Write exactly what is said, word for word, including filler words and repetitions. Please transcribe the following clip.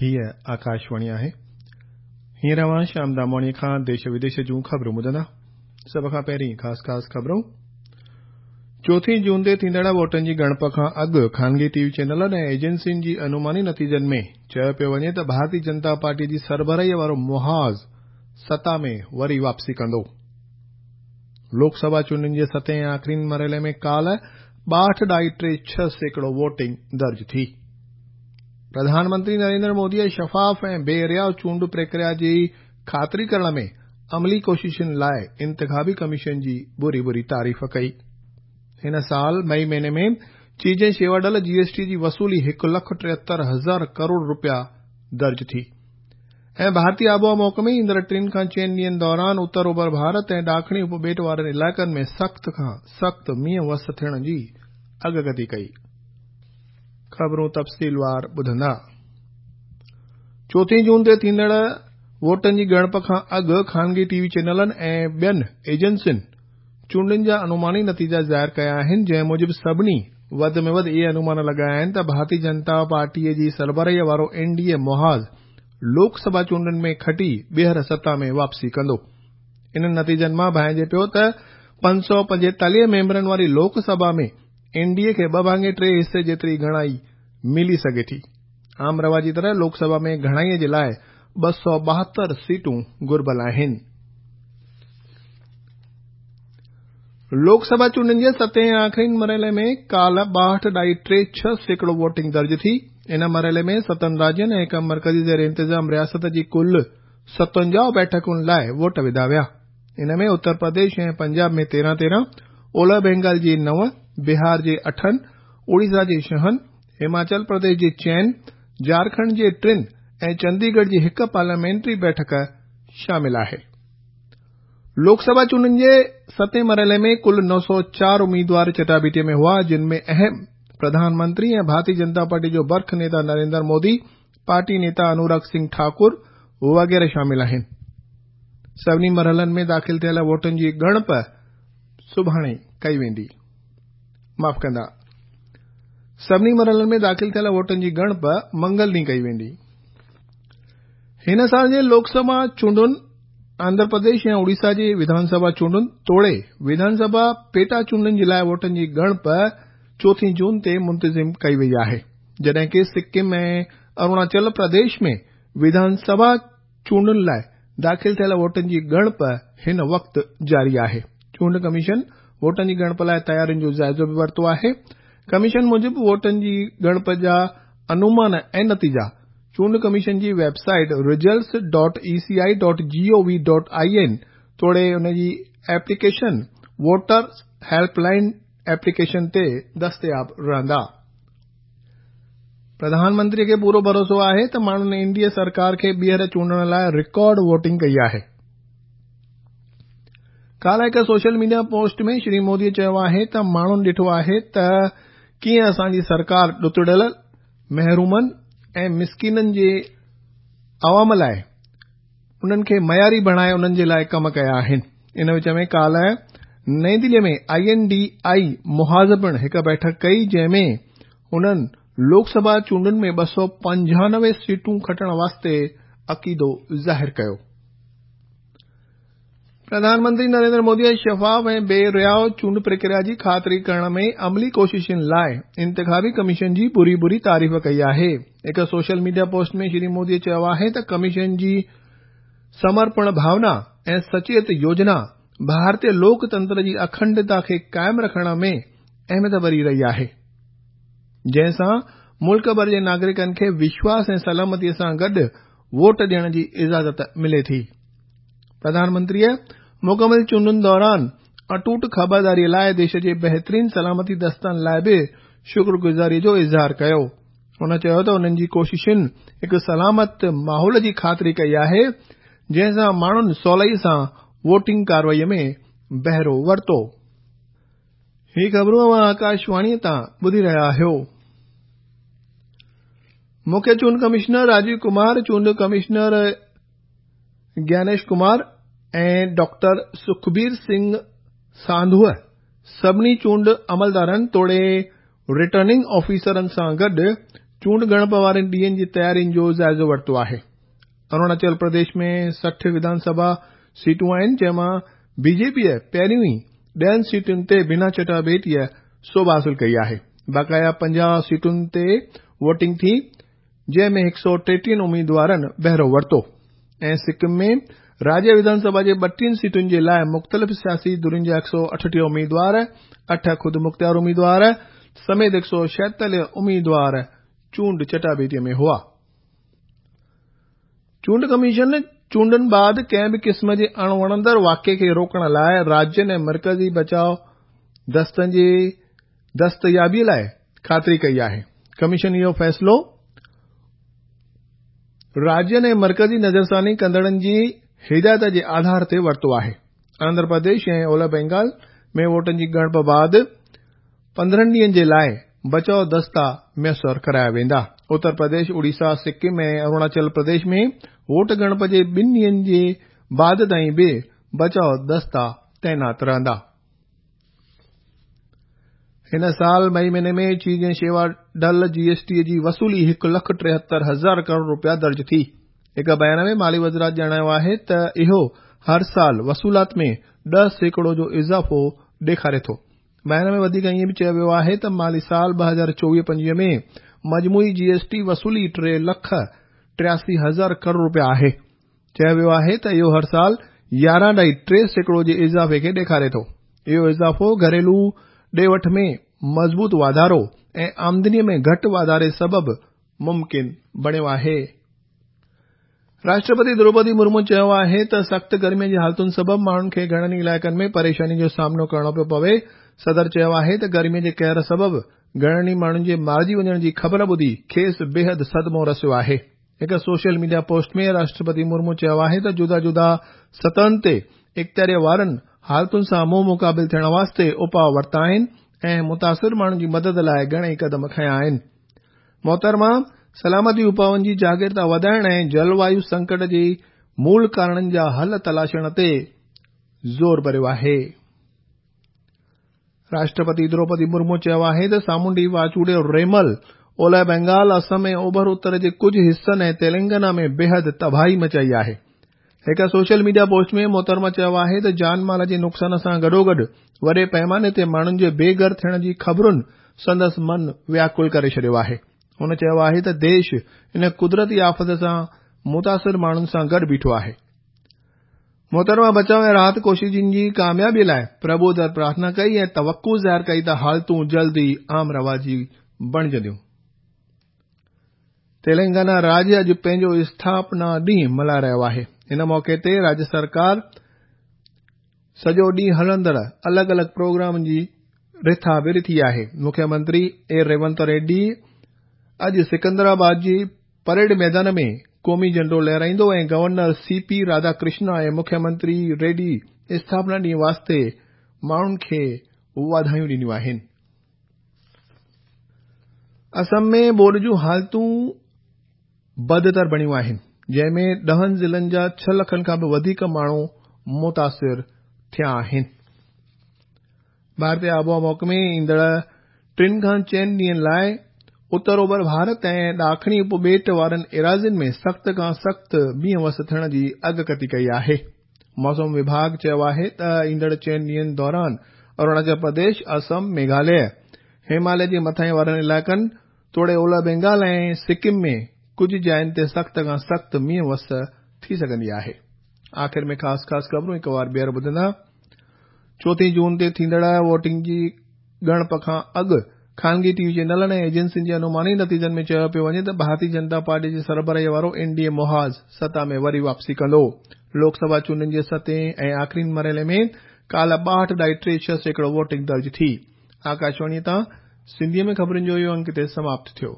هيء آڪاشواڻي آهي. هينئر اوهان شيام دامواڻيء کان ديش وديش جون خبرون ٻڌندا. سڀ کان پهرين خاص خاص خبرون. چوٿين جون تي ٿيندڙ ووٽن جي ڳڻپ کان اڳ خانگي ٽي وي چينلن ۽ ايجنسين جي انوماني نتيجن ۾ چيو پيو وڃي ته ڀارتي جنتا پارٽيء جي سربراهيء وارو محاذ ستا ۾ وري واپسي ڪندو. لوڪ سڀا چونڊن جي ستين ۽ آخرين مرحلي ۾ ڪالهه ٻاهٺ ڏهائي ٽي ڇهه سيڪڙو ووٽنگ درج ٿي. پرڌان منتري نريندر موديء شفاف ۽ بي رياء چونڊ پرڪريا جي خاطري ڪرڻ ۾ عملي ڪوششن لاءِ انتخابي ڪميشن جي ڀري ڀري تعريف ڪئي. هن سال مئي مهيني ۾ چيز ۽ شيوا ڊل جي ايس ٽي جي وصولي هڪ لک ٽيهتر هزار ڪروڙ رپيا درج ٿي. ۽ ڀارتي آبهوا محڪمي ايندڙ ٽن کان چئن ڏينهن دوران اتر اوڀر ڀارت ۽ ڏاکڻي اپٻيٽ وارن علائقن ۾ سخت کان سخت مينهن وس ٿيڻ جي اڳڪٿي ڪئي. خبرون تفصيلوار ٻڌندا. چوٿين جون تي ٿيندڙ ووٽن جي ڳڻپ کان اڳ خانگي ٽي وي چينلن ۽ ٻين ايجنسين چونڊن جا انوماني نتيجا ظاهر ڪيا آهن، جنهن موجب سڀني وڌ ۾ وڌ اهي انومان لڳايا آهن ته ڀارتي جنتا پارٽيء جي سربراهيء وارو اين ڊي اي محاذ لوڪ سڀا چونڊن ۾ کٽي ٻيهر ستا ۾ واپسي ڪندو. انهن نتيجن مان ڀانئجي پيو ته پنج سؤ پنجيتاليهه ميمبرن واري لوڪ سڀا ۾ اين ڊي اي کي ٻه ڀاڱي ٽي حصي جيتري گهڻائي ملي سگهي ٿي. عام رواجي طرح لوڪ سڀا ۾ گهڻائيء جي لاءِ ٻه سؤ ٻاهتر سيٽون گهربل آهن. لوڪ سڀا چونڊن جي ستين ۽ آخرين مرحلي ۾ ڪالهه ٻاهٺ ڏهائي ٽي ڇهه سيڪڙو ووٽنگ درج ٿي. ان مرحلي ۾ ستن راجين ۽ هڪ مرڪزي زير انتظام رياست جي ڪل ستونجاهه بيٺڪن لاءِ ووٽ وڌا ويا. ان ۾ اتر پرديش ۽ پنجاب ۾ تيرهن تيرهن، اولهه بينگال جي نو، بهار جي اٺن، اوڙيسا جي ڇهن، هماچل پرديش جي چئن، جهارکنڊ جي ٽن ۽ چنديڳڙهه جي هڪ پارليامينٽري بيٺڪ شامل آهي. لوڪ سڀا چونڊن جي ستين مرحلي ۾ ڪل نو سؤ چار اميدوار چٽاڀيٽيء ۾ هئا، جن ۾ اهم پرڌان منتري ۽ ڀارتي جنتا پارٽي جو برک نيتا نريندر مودي، پارٽي نيتا انوراگ سنگهه ٺاڪر وغيره شامل آهن. سڀني مرحلن ۾ داخل ٿيل ووٽن جي ڳڻپ سڀاڻي ڪئي ويندي. معاف ڪندا، سڀني مرحلن ۾ داخل ٿيل ووٽن جي ڳڻپ منگل ڏينهن ڪئي ويندي. هن سال جي لوڪ سڀا چونڊن، آنڌرا پرديش ۽ اوڙيسا جي وڌان سڀا چونڊن توڙي وڌان سڀا پيٽا چونڊن جي لاءِ ووٽن جي ڳڻپ چوٿين جون تي منتظم ڪئي وئي آهي، جڏهن ڪه سڪم ۽ اروناچل پرديش ۾ وڌان سڀا چونڊن لاءِ داخل ٿيل ووٽن جي ڳڻپ هن وقت جاري آهي. چونڊ ڪميشن ووٽن جي ڳڻپ لاءِ تيارين جو جائزو به ورتو آهي. ڪميشن موجب ووٽن جي ڳڻپ جا انومان ۽ نتيجا چونڊ ڪميشن جي website results dot E C I dot G O V dot I N توڙي ان جي application voters help line application تي دستياب رهندا. پرڌان منتريء کي پورو ڀروسو آهي ته ماڻهن اين ڊي اي سرڪار کي ٻيهر چونڊڻ لاءِ رڪارڊ ووٽنگ ڪئي آهي. ڪالهه هڪ سوشل ميڊيا پوسٽ ۾ شري موديء چيو آهي ته ماڻهن ڏٺو آهي ته ڪيئن اسان جي سرڪار ڏتڙيل، محرومن ۽ مسڪينن جي عوام لاءِ انهن کي معياري بڻائي انهن جي لاءِ ڪم ڪيا آهن. ان وچ ۾ ڪالهه نئين دليء ۾ I N D I محاذ پڻ هڪ بيٺڪ ڪئي، جنهن ۾ انهن لوڪ سڀا چونڊن ۾ ٻه سؤ پنجانوي سيٽون کٽڻ واسطي عقيدو ظاهر ڪيو. پرڌان منتري نريندر موديء شفاف ۽ بي رياء چونڊ پرڪريا جي خاطري ڪرڻ ۾ عملي ڪوششن لاءِ انتخابي ڪميشن جي ڀري ڀري تعريف ڪئي آهي. هڪ سوشل ميڊيا پوسٽ ۾ شري موديء چيو آهي ته ڪميشن جي سمرپڻ ڀاونا ۽ سچيت يوجنا ڀارتيه لوڪتنتر جي اکنڊتا کي قائم رکڻ ۾ اهميت ڀري رهي آهي، جنهن سان ملڪ ڀر جي ناگرڪن کي وشواس ۽ سلامتيء سان گڏ ووٽ ڏيڻ جي اجازت ملي ٿي. پرڌان منتريء مڪمل چونڊن دوران اٽوٽ خبرداريء لاءِ ديش جي بهترين سلامتي دستن لاءِ به شڪرگذاريء جو اظهار ڪيو. هن چيو ته انهن جي ڪوششن هڪ سلامت ماحول جي خاطري ڪئي آهي، جنهن سان ماڻهن سولائيء سان ووٽنگ ڪارروائيء ۾ بهرو ورتو. هي خبرون اوهان آڪاشواڻيء تان ٻڌي رهيا آهيو. مکيه چونڊ ڪمشنر راجيو ڪمار، چونڊ ڪمشنر گيانيش ڪمار ۽ ڊاڪٽر سکبير سنگهه سانڌوءَ سڀني چونڊ عملدارن توڙي رٽرننگ آفيسرن سان گڏ چونڊ ڳڻپ وارن ڏينهن جي تيارين جو جائزو ورتو آهي. اروناچل پرديش ۾ سٺ وڌان سڀا سيٽون آهن، جنهن مان بيجيپيء پهريون ئي ڏهن سيٽن تي بنا چٽاڀيٽيء سوڀ حاصل ڪئي آهي. باقاعده پنجاهه سيٽن تي ووٽنگ ٿي، جنهن ۾ هڪ سؤ ٽيٽيهن اميدوارن بهرو ورتو ۽ سڪم ۾ راجيه وڌان سڀا جي ٻٽيهن سيٽن جي لاءِ مختلف سياسي ڌرين جا هڪ سؤ اٺٽيهه اميدوار، اٺ خودمختيار اميدوار سميت هڪ سؤ ڇائيتاليهه اميدوار چونڊ چٽاڀيٽيء ۾ هئا. چونڊ ڪميشن چونڊن بعد ڪنهن به قسم جي اڻوڻندڙ واقعي کي روڪڻ لاءِ راجين ۽ مرڪزي بچاءُ دستن جي دستيابيءَ لاءِ خاطري ڪئي آهي. ڪميشن اهو فيصلو راجين ۽ مرڪزي نظرثاني ڪندڙن جي هدايت جي آڌار تي ورتو آهي. آنڌرا پرديش ۽ اولهه بنگال ۾ ووٽن جي ڳڻپ بعد پندرهن ڏينهن جي لاءِ بچاءُ دستا ميسر ڪرايا ويندا. اتر پرديش، اڙيسا، سڪم ۽ اروناچل پرديش ۾ ووٽ ڳڻپ جي ٻن ڏينهن جي بعد تائين به بچاءُ دستا تعينات رهندا. هن سال مئي مهيني ۾ چيز ۽ شيوا ڍل جي ايس ٽي جي وصولي هڪ لک ٽيهتر هزار ڪروڙ رپيا درج ٿي. هڪ بيان ۾ مالي وزارت ڄاڻايو آهي ته اهو هر سال وصولات ۾ ڏهه سيڪڙو جو اضافو ڏيکاري ٿو. بيان ۾ وڌيڪ ائين به چيو ويو آهي ته مالي سال ٻه هزار چوويهه پنجويهه ۾ مجموعي جي ايس ٽي وصولي ٽي لک ٽياسي هزار ڪروڙ رپيا آهي. چيو ويو آهي ته اهو هر سال يارهن ڏهائي ٽي سيڪڙو جي اضافي کي ڏيکاري ٿو. اهو اضافو گهريلو ڏي وٺ ۾ مضبوط واڌارو ۽ آمدنيءَ ۾ گهٽ واڌاري سبب ممڪن بڻيو آهي. راشٽرپتي دروپدي مرمو چيو آهي ته سخت گرميءَ جي حالتن سبب ماڻهن کي گهڻن ئي علائقن ۾ پريشاني جو سامنو ڪرڻو پيو پوي. صدر چيو آهي ته گرميءَ جي قهر سبب گهڻن ئي ماڻهن جي مارجي وڃڻ جي خبر ٻڌي کيس بيحد صدمو رسيو آهي. هڪ social media post ۾ Rashtrapati Murmu چيو آهي ته جدا جدا سطحن تي اختياري وارن حالتن سان منهن مقابل ٿيڻ واسطي اپاءُ ورتا آهن ۽ متاثر ماڻهن جي مدد لاءِ گهڻئي قدم کنيا آهن. محترمه سلامتي اپائن جي جاڳرتا وڌائڻ ۽ جلوايو سنڪٽ جي مول ڪارڻن جا حل تلاشڻ تي زور ڀريو آهي. راشٽرپتي دروپدي مرمو چيو آهي ته سامونڊي واچوڙي ريمل اولهه بنگال، اسم ۽ اوڀر اتر جي ڪجهه حصن ۽ تيلنگانا ۾ بيحد تباهي مچائي آهي. هڪ سوشل ميڊيا پوسٽ ۾ محترمه چيو آهي ته جان مال جي نقصان سان گڏوگڏ وڏي پيماني تي ماڻهن جي بي گهر ٿيڻ جي خبرن سندس من وياڪل ڪري ڇڏيو آهي. هن چيو آهي ته ديش ان قدرتي آفت سان متاثر ماڻهن سان گڏ بيٺو آهي. محترمه بچاءُ ۽ راحت ڪوششن جي ڪاميابيءَ لاءِ پرڀو در پرارٿنا ڪئي ۽ توقع ظاهر ڪئي ته حالتون جلد ئي عام رواجي بڻجنديون. تيلنگانا راجيه اڄ پنهنجو اسٿاپنا ڏينهن ملهائي رهيو آهي. ان موقعي تي راجيه سرڪار سڄو ڏينهن هلندڙ الڳ الڳ پروگرامن جي رٿا به رٿي آهي. مکيه منتري اي ريونت ريڊي اڄ سڪندرآباد جي پريڊ ميدان ۾ قومي جهنڊو لهرائيندو ۽ گورنر سي پي راڌاڪرشنا ۽ مکيه منتري ريڊي اسٿاپنا ڏينهن واسطي ماڻهن کي واڌايون ڏنيون آهن. اسم ۾ ٻوڏ جون حالتون بدتر بڻيون آهن، جنهن ۾ ڏهن ضلعن جا ڇهه لکن کان به وڌيڪ ماڻهو متاثر ٿيا آهن. ڀارتيه آبهوا محڪمي ايندڙ ٽن کان چئن ڏينهن لاءِ اتر اوڀر ڀارت ۽ ڏاکڻي اپٻيٽ وارن ايراضين ۾ سخت کان سخت مينهن وس ٿيڻ جي اڳڪٿي ڪئي آهي. موسم وڀاڳ چيو آهي ته ايندڙ چئن ڏينهن دوران اروناچل پرديش، اسم، ميگهاليه، هماليه جي مٿانهين وارن علائقن توڙي اولهه بنگال ۽ سڪم ۾ ڪجهه جاين تي سخت کان سخت مينهن وس ٿي سگهندي آهي. آخر ۾ خاص خاص خبرون هڪ وار ٻيهر ٻڌندا. چوٿين جون تي ٿيندڙ ووٽنگ جي ڳڻپ کان اڳ خانگي ٽي وي چينلن ۽ ايجنسين جي انوماني نتيجن ۾ چيو پيو وڃي ته ڀارتيه جنتا پارٽي جي سربراهي وارو اين ڊي اي محاذ ستا ۾ وري واپسي ڪندو. لوڪ سڀا چونڊن جي ستين ۽ آخري مرحلي ۾ ڪالهه ٻاهٺ ڏهائي ٽي ڇهه سيڪڙو ووٽنگ درج ٿي. آڪاشواڻيءَ تان سنڌيءَ ۾ خبرن جو اهو انڪ هتي سماپت ٿيو.